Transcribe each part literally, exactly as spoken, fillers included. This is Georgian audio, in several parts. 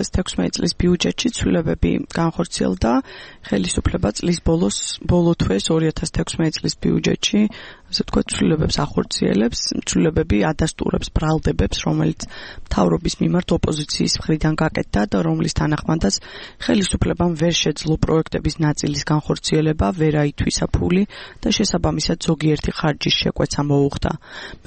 ათას თექვსმეტი წლის ბიუჯეტში ცვლილებები განხორციელდა. ხელისუფლება წლის ბოლოს ბოლო თვეს ორი ათას თექვსმეტი წლის ბიუჯეტში ასე თქვა ცვლილებებს ახორციელებს, ცვლილებები ადასტურებს ბრალდებებს, რომელიც მთავრობის მიმართ ოპოზიციის მხრიდან გაკეთდა და რომლის თანახმადაც ხელისუფლებამ ვერ შეძლო პროექტების ნაწილის განხორციელება, ვერ აითვისა ფული და შესაბამისად ზოგიერთი ხარჯის შეკვეცა მოუხდა.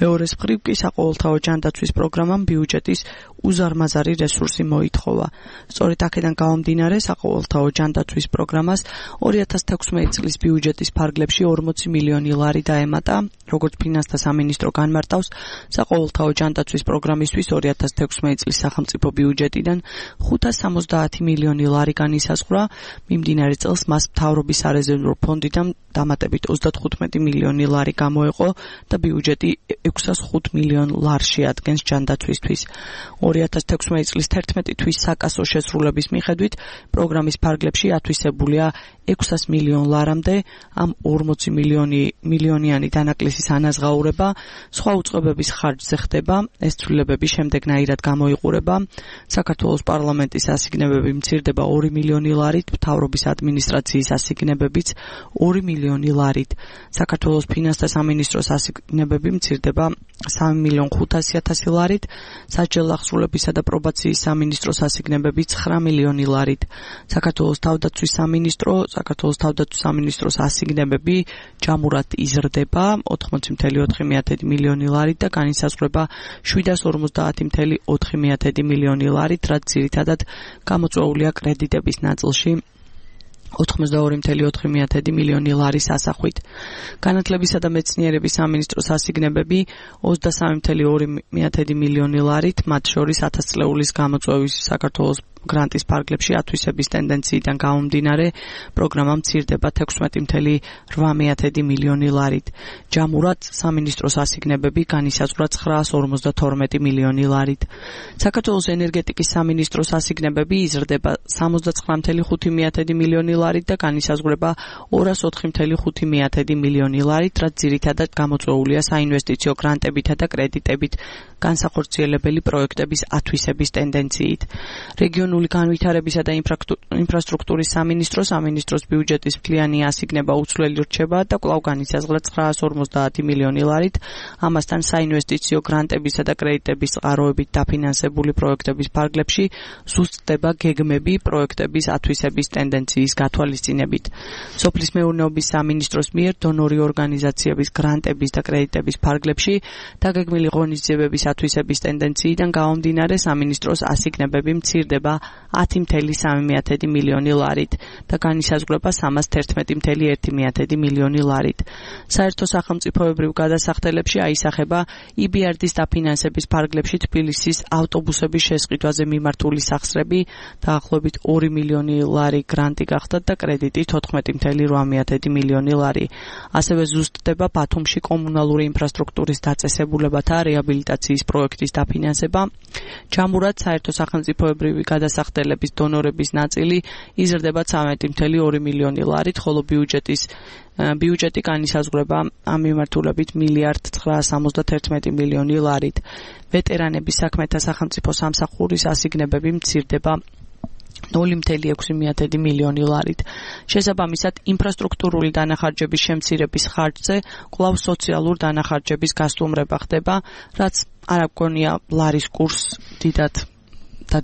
მეორეს მხრივ კი საყოველთაო ჯანდაცვის პროგრამამ ბიუჯეტის უზარმაზარი რესურსი მოითხოვა. სწორედ აქედან გამომდინარე საყოველთაო ჯანდაცვის პროგრამას ორი ათას თექვსმეტი წლის ბიუჯეტის ფარგლებში ორმოცი მილიონი ლარი დაემატა. როგორც ფინანსთა სამინისტრო განმარტავს, საყოველთაო ჯანდაცვის პროგრამისთვის ორი ათას თექვსმეტი წლის სახელმწიფო ბიუჯეტიდან ხუთას სამოცდაათი მილიონი ლარი განისაზღვრა. მიმდინარე წელს მას მთავრობის სარეზერვო ფონდიდან დამატებით ოცდათხუთმეტი მილიონი ლარი გამოეყო და ბიუჯეტი ექვსას ხუთ მილიონ ლარს შეადგენს ჯანდაცვისთვის. ორი ათას თექვსმეტი წლის თერთმეტი თვის საკასო შესრულების მიხედვით პროგრამის ფარგლებში ათვისებულია ექვსას მილიონ ლარამდე, ამ ორმოცი მილიონი მილიონიანი დანაკლისის ანაზღაურება, სხვა უწყებების ხარჯზე ხდება. ეს ცვლილებები შემდეგნაირად გამოიყურება. საქართველოს პარლამენტის ასიგნებები მცირდება ორი მილიონი ლარით, მთავრობის ადმინისტრაციის ასიგნებებიც ორი მილიონი ლარით. საქართველოს ფინანსთა სამინისტროს ასიგნებები მცირდება სამი მილიონ ხუთასი ათასი ლარით, სასჯელ აღსრულებისა და პრობაციის სამინისტროს ასიგნებები ცხრა მილიონი ლარით. საქართველოს თავდაცვის სამინისტრო საქართველოს თავდაცვის სამინისტროს ასიგნებები ჯამურად იზრდება ოთხმოცი მილიარდი ოთხი მილიონი ლარით და განისაზღვრება შვიდას ორმოცდაათი მილიარდი ოთხი მილიონი ლარით, რაც ძირითადად გამოწვეულია კრედიტების ნაწილში ოცდაორი მილიარდი ოთხი მილიონი ლარის ასახვით. განათლებისა და მეცნიერების სამინისტროს ასიგნებები ოცდასამი მილიარდი ორი მილიონი ლარით, მათ შორის ათასწლეულის გამოწვევის საქართველოს გრანტის ფარგლებში ათვისების ტენდენციიდან გამომდინარე პროგრამა მცირდება თექვსმეტი მილიარდი რვა მილიონი ლარით. ჯამურად სამინისტროს ასიგნებები განისაზღვრა ცხრაას ორმოცდათორმეტი მილიონი ლარით. საქართველოს ენერგეტიკის სამინისტროს ასიგნებები იზრდება სამოცდაცხრა მილიარდი ხუთი მილიონი ლარით და განისაზღვრება ორას ოთხი მილიარდი ხუთი მილიონი ლარით, რაც ძირითადად გამოწვეულია საინვესტიციო გრანტებითა და კრედიტებით განსახორციელებელი პროექტების ათვისების ტენდენციით. რეგიონული განვითარებისა და ინფრასტრუქტურის სამინისტრო სამინისტროს ბიუჯეტის მთლიანი ასიგნება უცვლელი რჩება და კვლავ განისაზღვრა ცხრაას ორმოცდაათი მილიონი ლარით. ამასთან საინვესტიციო გრანტებისა და კრედიტების წყაროებით დაფინანსებული პროექტების ფარგლებში სუსტდება გეგმები პროექტების ათვისების ტენდენციის გათვალისწინებით. სოფლის მეურნეობის სამინისტროს მიერ დონორი ორგანიზაციების გრანტების და კრედიტების ფარგლებში დაგეგმილი ღონისძიებების ათვისების ტენდენციიდან გამომდინარე სამინისტროს ასიგნებები მცირდება ათი მილიარდი სამი მილიონი ლარით და განისაზღვრება სამას თერთმეტი მილიარდი ერთი მილიონი ლარით. საერთო სახელმწიფოებრივ გადასახდელებში აისახება ი ბი არ დის დაფინანსების ფარგლებში თბილისის ავტობუსების შესყიდვაზე მიმართული სახსრები დაახლოებით ორი მილიონი ლარი გრანტი გახდა და კრედიტი თოთხმეტი მილიარდი რვა მილიონი ლარი. ასევე ზუსტდება ბათუმში კომუნალური ინფრასტრუქტურის დაწესებულებათა რეაბილიტაციის პროექტის დაფინანსება. ჯამურად საერთო სახელმწიფოებრივი გადასახდელების დონორების ნაწილი იზრდება ცხრამეტი მილიარდი ორი მილიონი ლარით, ხოლო ბიუჯეტის ბიუჯეტი განისაზღვრება ამ მიმართულებით მილიარდ ცხრაას სამოცდათერთმეტი მილიონი ლარით. ვეტერანების საქმეთა სახელმწიფო სამსახურის ასიგნებები მცირდება ნული მილიარდი ექვსი მილიონი ლარით. შესაბამისად, ინფრასტრუქტურული დანახარჯების შემცირების ხარჯზე კვლავ სოციალურ დანახარჯების გასტუმრება ხდება, რაც არ აგონია ლარის კურსს დიდად